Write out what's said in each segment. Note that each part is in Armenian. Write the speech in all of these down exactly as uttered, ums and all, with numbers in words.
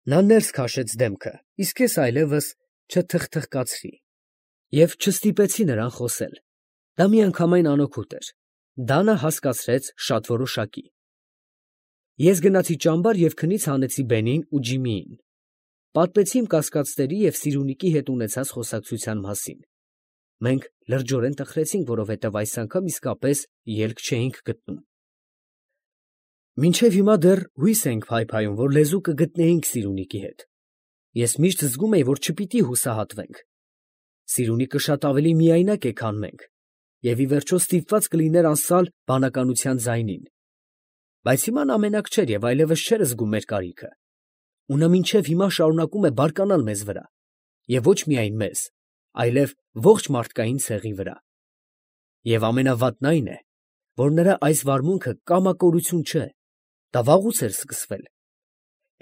Նա ներս քաշեց դեմքը, իսկ ես այլևս չթխթխկացրի և չստիպեցի նրան խոսել. դա միանգամայն անօգուտ էր, դա նա հասկացրեց շատ որոշակի։ Ես գնացի ճամբար և քնից հանեցի Բենին ու Ջիմիին. պատմեցի իմ կասկածների և Սիրունիքի հետ ունեցած խոսակցության մասին։ Մենք լրջորեն տխրեցինք, որովհետև այս անգամ իսկապես ելք չէինք գտնում։ Մինչև հիմա դեռ հույս էինք փայփայում, որ լեզու կգտնեինք Սիրունիքի հետ։ Ես միշտ զգում էի, որ չպիտի հուսահատվենք։ Սիրունիքը շատ ավելի միայնակ է, քան մենք, և ի վերջո ստիպված կլիներ անսալ բանականության ձայնին։ Բայց հիմա նա մենակ չէր և այլևս չէր զգում մեր կարիքը։ Ու նա մինչև հիմա շարունակում է բարկանալ մեզ վրա, և ոչ միայն մեզ, այլև ողջ մարդկային ցեղի վրա։ Եվ ամենավատն այն է, որ նրա այս վարմունքը կամակորություն չէ, դա վաղուց էր սկսվել։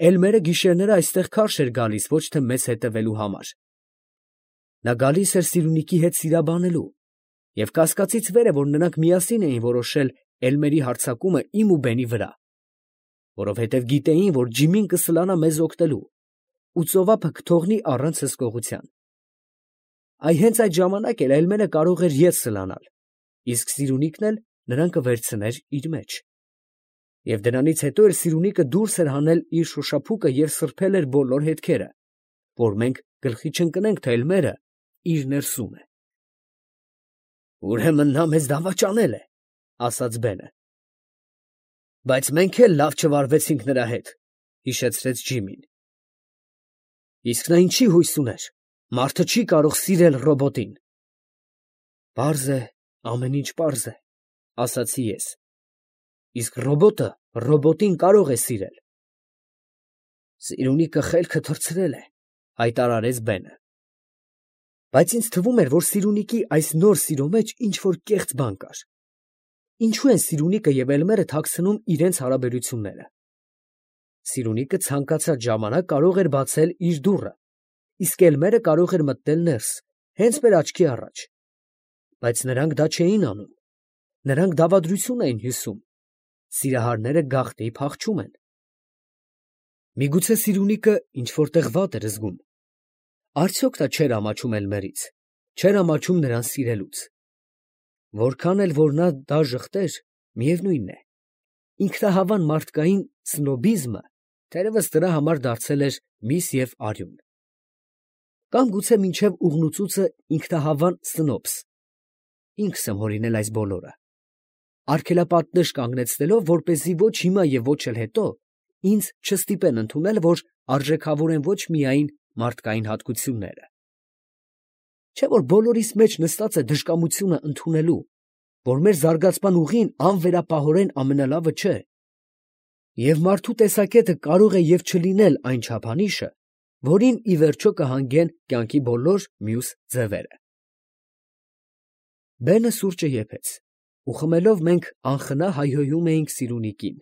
Էլմերը գիշերները այստեղ քարշ էր գալիս ոչ թե մեզ հետևելու համար։ Նա գալիս էր Սիրունիքի հետ սիրաբանելու, և կասկածից վեր է, որ նրանք միասին էին որոշել Էլմերի հարձակումը իմ ու Բենի վրա, որովհետև գիտեին, որ Ջիմին կսլանա մեզ օգնելու, ու ծովափը կթողնի առանց հսկողության։ Այ հենց այդ ժամանակ էլ Էլմերը կարող էր ետ սլանալ, իսկ Սիրունիքն էլ նրան կվերցներ իր մեջ։ Եվ դրանից հետո էլ Սիրունիքը դուրս էր հանել իր շոշափուկը և սրբել էր բոլոր հետքերը, որ մենք գլխի չընկնենք, թե Էլմերը իր ներսում է։ «Ուրեմն նա մեզ դավաճանել է, ֊ ասաց Բենը։ ֊ Բայց մենք էլ լավ չվարվեցինք նրա հետ, ֊ հիշեցրեց Ջիմին։ ֊ Իսկ նա ինչի հույս ուներ, մարդը չի կարող սիրել ռոբոտին։ ֊ Պարզ է, ամեն ինչ պարզ է, ֊ ասացի ես։ ֊ Իսկ ռոբոտը ռոբոտին կարող է սիրել։ ֊ Սիրունիքը խելքը թռցրել է, ֊ հայտարարեց Բենը։ Բայց ինձ թվում էր, որ Սիրունիքի այս նոր սիրո մեջ ինչ֊որ կեղծ բան կար։ Ինչո՞ւ են Սիրունիքը և Էլմերը թաքցնում իրենց հարաբերությունները։ Սիրունիքը ցանկացած ժամանակ կարող էր բացել իր դուռը, իսկ Էլմերը կարող էր մտնել ներս, հենց մեր աչքի առաջ։ Բայց նրանք դա չէին անում, նրանք դավադրություն էին հյուսում, սիրահարները գաղտնի փախչում են։ Միգուցե Սիրունիքը ինչ֊որ տեղ վատ էր զգում։ Արդյոք նա չէր ամաչում Էլմերից, չէր ամաչում նրան սիրելուց։ Որքան էլ որ նա դա ժխտեր, միևնույն է, ինքնահավան մարդկային սնոբիզմը թերևս նրա համար դարձել էր միս և արյուն։ Կամ գուցե մինչև ուղնուցուցը ինքնահավան սնոբս։ Ինքս եմ հորինել այս բոլորը, արգելապատնեշ կանգնեցնելով, որպեսզի ոչ հիմա և ոչ էլ հետո ինձ չստիպեն ընդունել, որ արժեքավոր են ոչ միայն մարդկային հատկությունները։ Չէ՞ որ բոլորիս մեջ նստած է դժկամությունը ընդունելու, որ մեր զարգացման ուղին անվերապահորեն ամենալավը չէ, և մարդու տեսակետը կարող է և չլինել այն չափանիշը, որին ի վերջո կհանգեն կյանքի բոլոր մյուս ձևերը։ Բենը սուրճը եփեց, ու խմելով մենք անխնա հայհոյում էինք Սիրունիկին։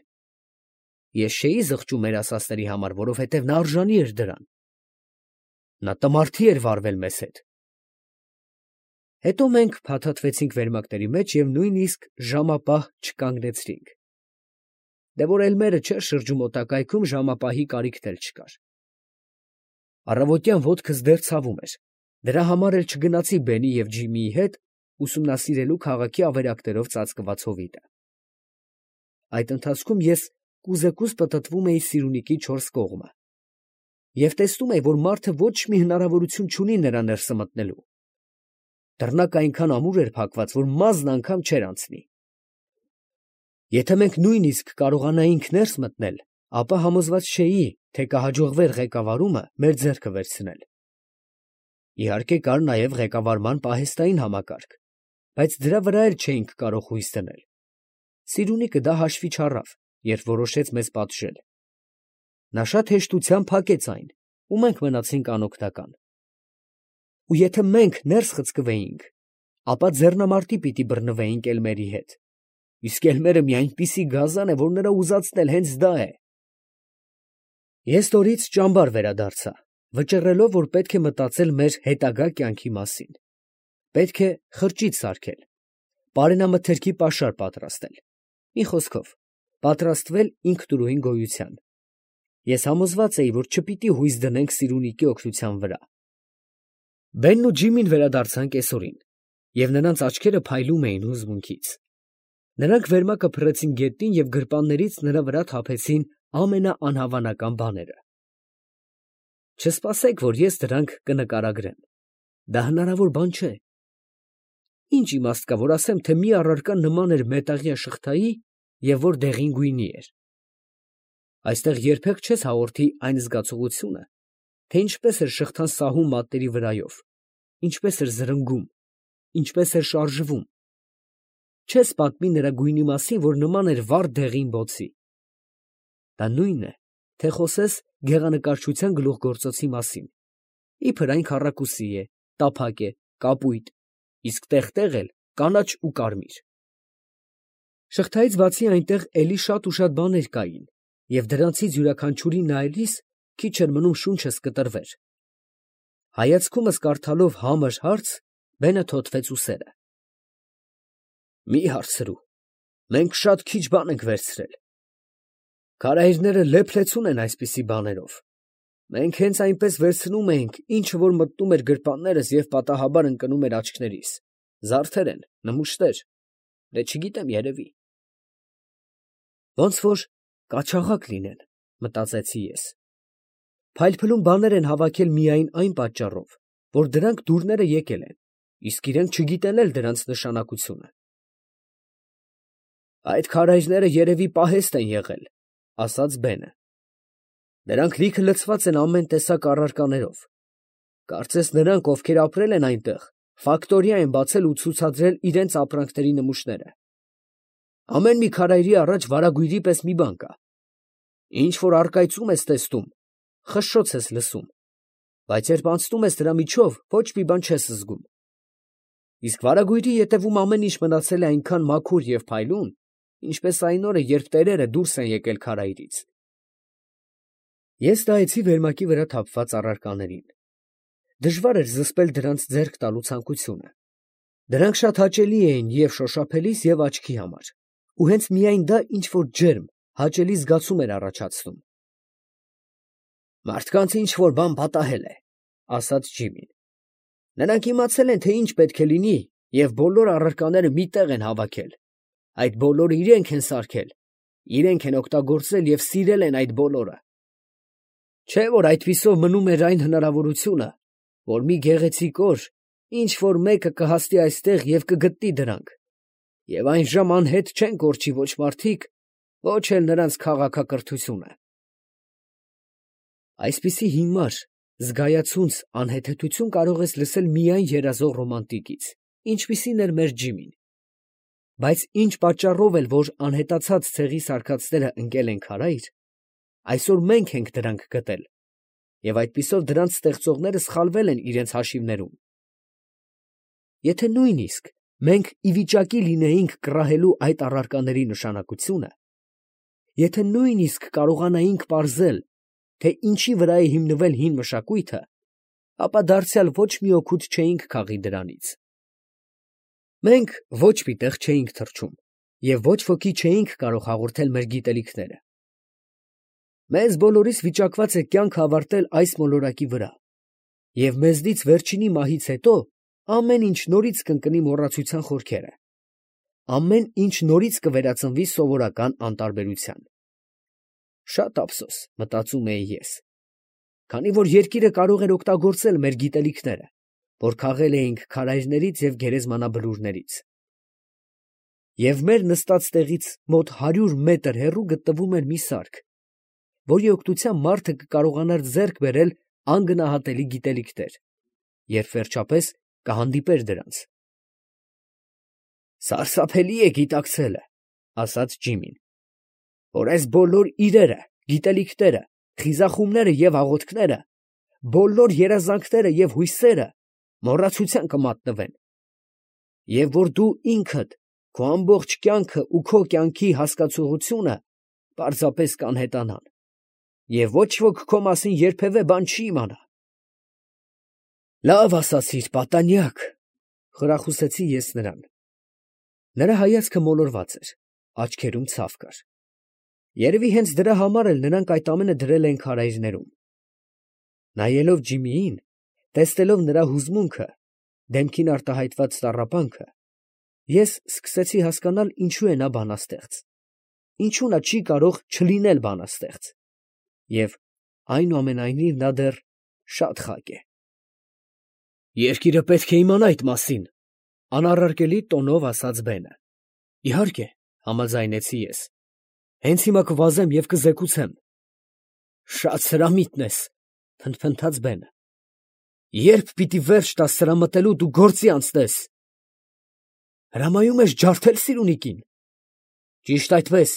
Ես չէի զղջում մեր ասածների համար, որովհետև նա արժանի էր դրան։ Նա տմարդի էր վարվել մեզ հետ։ Հետո մենք փաթաթվեցինք վերմակների մեջ և նույնիսկ ժամապահ չկանգնեցրինք։ Դե որ Էլմերը չէր շրջում մոտակայքում, ժամապահի կարիքն էլ չկար։ Առավոտյան ոտքս դեռ ցավում էր, դրա համար էլ չգնացի Բենի և Ջիմիի հետ ուսումնասիրելու քաղաքի ավերակներով ծածկված հովիտը։ Այդ ընթացքում ես կուզեկուզ պտտվում էի Սիրունիքի չորս կողմը և տեսնում էի, որ մարդը ոչ մի հնարավորություն չունի նրա ներսը մտնելու։ Դռնակը այնքան ամուր էր փակված, որ մազն անգամ չէր անցնի։ Եթե մենք նույնիսկ կարողանայինք ներս մտնել, ապա համոզված չէի, թե կհաջողվեր ղեկավարումը մեր ձեռքը վերցնել։ Իհարկե, կար նաև ղեկավարման պահեստային համակարգ, բայց դրա վրա էլ չէինք կարող հույս դնել։ Սիրունիքը դա հաշվի չառավ, երբ որոշեց մեզ պատժել։ Նա շատ հեշտությամբ փակեց այն, ու մենք մնացինք անօգնական։ Ու եթե մենք ներս խցկվեինք, ապա ձեռնամարտի պիտի բռնվեինք Էլմերի հետ, իսկ Էլմերը մի այնպիսի գազան է, որ նրա ուզածն էլ հենց դա է։ Ես ստորից ճամբար վերադարձա, վճռելով, որ պետք է մտածել մեր հետագա կյանքի մասին։ Պետք է խրճիթ սարքել, պարենամթերքի պաշար պատրաստել, մի խոսքով, պատրաստվել ինքնուրույն գոյության։ Ես համոզված էի, որ չպիտի հույս դնենք Սիրունիկի օգնության վրա։ Բենն ու Ջիմին վերադարձան կեսօրին, և նրանց աչքերը փայլում էին հուզմունքից։ Նրանք վերմակը փռեցին գետնին և գրպաններից նրա վրա թափեցին ամենաանհավանական բաները։ Չսպասեք, որ ես դրանք կնկարագրեմ, դա հնարավոր բան չէ։ Ինչ իմաստ կա, որ ասեմ, թե մի առարկա նման էր մետաղյա շղթայի և որ դեղին գույնի էր։ Այստեղ երբեք չես հաղորդի այն զգացողությունը, թե ինչպես էր շղթան սահում մատների վրայով, ինչպես էր զրնգում, ինչպես էր շարժվում։ Չես պատմի նրա գույնի մասին, որ նման էր վառ դեղին բոցի։ Դա նույնն է, թե խոսես գեղանկարչության գլուխգործոցի մասին, իբր այն քառակուսի է, տափակ է, կապույտ, իսկ տեղ֊տեղ էլ կանաչ ու կարմիր։ Շղթայից բացի այնտեղ էլի շատ ու շատ բաներ կային, և դրանցից յուրաքանչյուրին նայելիս քիչ էր մնում շունչս կտրվեր։ Հայացքումս կարդալով համր հարց, բենը թոթվեց ուսերը։ Մի հարցրու, մենք շատ քիչ բան ենք վերցրել։ Քարայրները լեփ-լեցուն են այսպիսի բաներով։ Մենք հենց այնպես վերցնում էինք, ինչը որ մտնում էր գրպաններս և պատահաբար ընկնում էր աչքներիս, զարդեր են, նմուշներ, դե չգիտեմ, երևի։ Ոնց որ կաչաղակ լինեն, մտածեցի ես։ Փայլփլուն բաներ են հավաքել միայն այն պատճառով, որ դրանք դուրները եկել են, իսկ իրենք չգիտեն էլ դրանց նշանակությունը։ Այդ քարայրները երևի պահեստ են եղել, ասաց Բենը։ Նրանք լիքը լցված են ամեն տեսակ առարկաներով։ Կարծես նրանք, ովքեր ապրել են այնտեղ, ֆակտորիա են բացել ու ցուցադրել իրենց ապրանքների նմուշները։ Ամեն մի քարայրի առաջ վարագույրի պես մի բան կա։ Ինչ որ առկայծում ես տեսնում, խշշոց ես լսում, բայց երբ անցնում ես դրա միջով, ոչ մի բան չես զգում։ Իսկ վարագույրի ետևում ամեն ինչ մնացել է այնքան մաքուր և փայլուն, ինչպես այն օրը, երբ տերերը դուրս են եկել քարայրից։ Ես նայեցի վերմակի վրա թափված առարկաներին։ Դժվար էր զսպել դրանց ձեռք տալու ցանկությունը։ Դրանք շատ հաճելի էին և շոշափելիս, և աչքի համար, ու հենց միայն դա ինչ֊որ ջերմ, հաճելի զգացում էր առաջացնում։ Մարդկանց ինչ֊որ բան պատահել է, ասաց Ջիմին։ Նրանք իմացել են, թե ինչ պետք է լինի, և բոլոր առարկաները մի տեղ են հավաքել։ Այդ բոլորը իրենք են սարքել, իրենք են օգտագործել և սիրել են այդ բոլորը։ Չէ՞ որ այդպիսով մնում էր այն հնարավորությունը, որ մի գեղեցիկ օր ինչ֊որ մեկը կհասնի այստեղ և կգտնի դրանք, և այն ժամ անհետ չեն կորչի ոչ մարդիկ, ոչ էլ նրանց քաղաքակրթությունը։ Այսպիսի հիմար, զգայացունց անհեթեթություն կարող ես լսել միայն երազող ռոմանտիկից, ինչպիսին էր մեր Ջիմին։ Բայց ինչ պատճառով էլ որ անհետացած ցեղի սարքածները ընկել են քարայր, այսօր մենք ենք դրանք գտել, և այդպիսով դրանց ստեղծողները սխալվել են իրենց հաշիվներում։ Եթե նույնիսկ մենք ի վիճակի լինեինք կռահելու այդ առարկաների նշանակությունը, եթե նույնիսկ կարողանայինք պարզել, թե ինչի վրա է հիմնվել հին մշակույթը, ապա դարձյալ ոչ մի օգուտ չէինք քաղի դրանից։ Մենք ոչ մի տեղ չէինք թռչում և ոչ ոքի չէինք կարող հաղորդել մեր գիտելիքները։ Մեզ բոլորիս վիճակված է կյանքը ավարտել այս մոլորակի վրա, և մեզնից վերջինի մահից հետո ամեն ինչ նորից կընկնի մոռացության խորքերը, ամեն ինչ նորից կվերածնվի սովորական անտարբերության։ Շատ ափսոս, մտածում էի ես, քանի որ երկիրը կարող էր օգտագործել մեր գիտելիքները, որ քաղել էինք քարայրներից և գերեզմանաբլուրներից։ Եվ մեր նստած տեղից մոտ հարյուր մետր հեռու գտնվում էր մի սարք, որի օգնությամբ մարդը կկարողանար ձեռք բերել անգնահատելի գիտելիքներ, երբ վերջապես կհանդիպեր դրանց։ Սարսափելի է գիտակցելը, ասաց Ջիմին, որ այս բոլոր իրերը, գիտելիքները, խիզախումները և աղոթքները, բոլոր երազանքները և հույսերը մոռացության կմատնվեն, և որ դու ինքդ, քո ամբողջ կյանքը ու քո կյանքի հասկացողությունը պարզապես կանհետանան, և ոչ ոք քո մասին երբևէ բան չի իմանա։ Լավ ասացիր, պատանյակ, խրախուսեցի ես նրան։ Նրա հայացքը մոլորված էր, աչքերում ցավ կար։ Երևի հենց դրա համար էլ նրանք այդ ամենը դրել են քարայրներում։ Նայելով Ջիմիին, տեսնելով նրա հուզմունքը, դեմքին արտահայտված տառապանքը, ես սկսեցի հասկանալ ինչու է նա բանաստեղծ, ինչու նա չի կարող չլինել բանաստեղծ, և այնուամենայնիվ նա դեռ շատ խակ է։ Երկիրը պետք է իմանա այդ մասին, անառարկելի տոնով ասաց Բենը։ Իհարկե, համաձայնեցի ես, հենց հիմա կվազեմ և կզեկուցեմ։ Շատ սրամիտ ես, փնթփնթաց Բենը։ Ե՞րբ պիտի վերջ տաս սրամտելուդ ու գործի անցնես։ Հրամայում ես ջարդել Սիրունիկին։ Ճիշտ այդպես,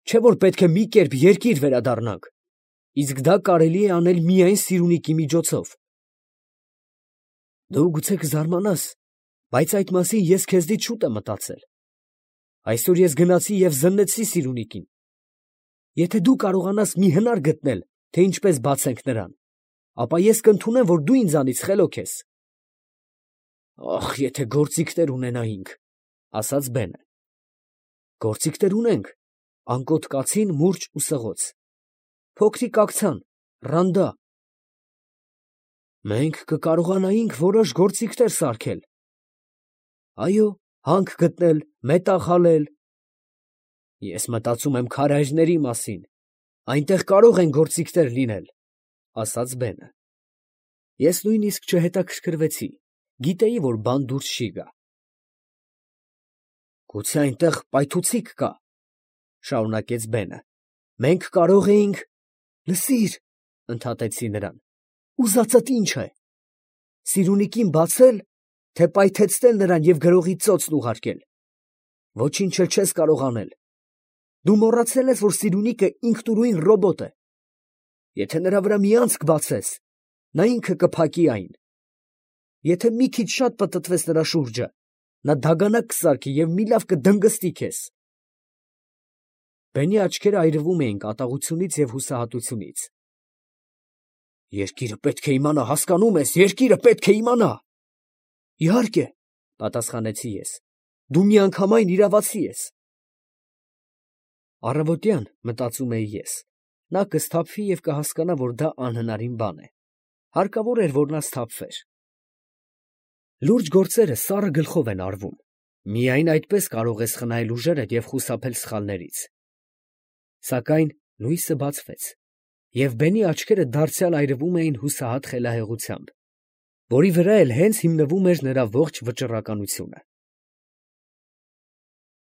չէ՞ որ պետք է մի կերպ երկիր վերադառնանք, իսկ դա կարելի է անել միայն Սիրունիկի միջոցով։ Դու գուցե կզարմանաս, բայց այդ մասին ես քեզնից շուտ եմ մտածել։ Այսօր ես գնացի և զննեցի Սիրունիկին։ Եթե դու կարողանաս մի հնար գտնել, թե ինչպես բացենք նրան, ապա ես կընդունեմ, որ դու ինձանից խելոք ես։ Ախ, եթե գործիքներ ունենայինք, ասաց Բենը։ Գործիքներ ունենք, անկոտ կացին, մուրճ ու սղոց, փոքրիկ աքցան, ռանդա։ Մենք կկարողանայինք որոշ գործիքներ սարքել։ Այո, հանք գտնել, մետաղ հալել։ Ես մտածում եմ քարայրների մասին, այնտեղ կարող են գործիքներ լինել, ասաց Բենը։ Ես նույնիսկ չհետաքրքրվեցի, գիտեի, որ բան դուրս չի գա։ Գուցե այնտեղ պայթուցիկ կա, շարունակեց Բենը։ Մենք կարող էինք… Լսիր, ընդհատեցի նրան, ուզածդ ինչ է, Սիրունիկին բացել, թե պայթեցնել նրան և գրողի ծոցն ուղարկել։ Ոչինչ էլ չես կարող անել։ Դու մոռացել ես, որ Սիրունիկը ինքնուրույն ռոբոտ է։ Եթե նրա վրա մի անցք բացես, նա ինքը կփակի այն։ Եթե մի քիչ շատ պտտվես նրա շուրջը, նա դագանակ կսարքի և մի լավ կդնգստի քեզ։ Բենի աչքերը այրվում էին կատաղությունից և հուսահատությունից։ Երկիրը պետք է իմանա, հասկանում ես, երկիրը պետք է իմանա։ Իհարկե, պատասխանեցի ես, դու միանգամայն իրավացի ես։ Առավոտյան, մտածում էի ես, նա կսթափվի և կհասկանա, որ դա անհնարին բան է։ Հարկավոր էր, որ նա սթափվեր։ Լուրջ գործերը սառը գլխով են արվում, միայն այդպես կարող ես խնայել ուժերդ և խուսափել սխալներից։ Սակայն լույսը բացվեց, և Բենի աչքերը դարձյալ այրվում էին հուսահատ խելահեղությամբ, որի վրա էլ հենց հիմնվում էր նրա ողջ վճռականությունը։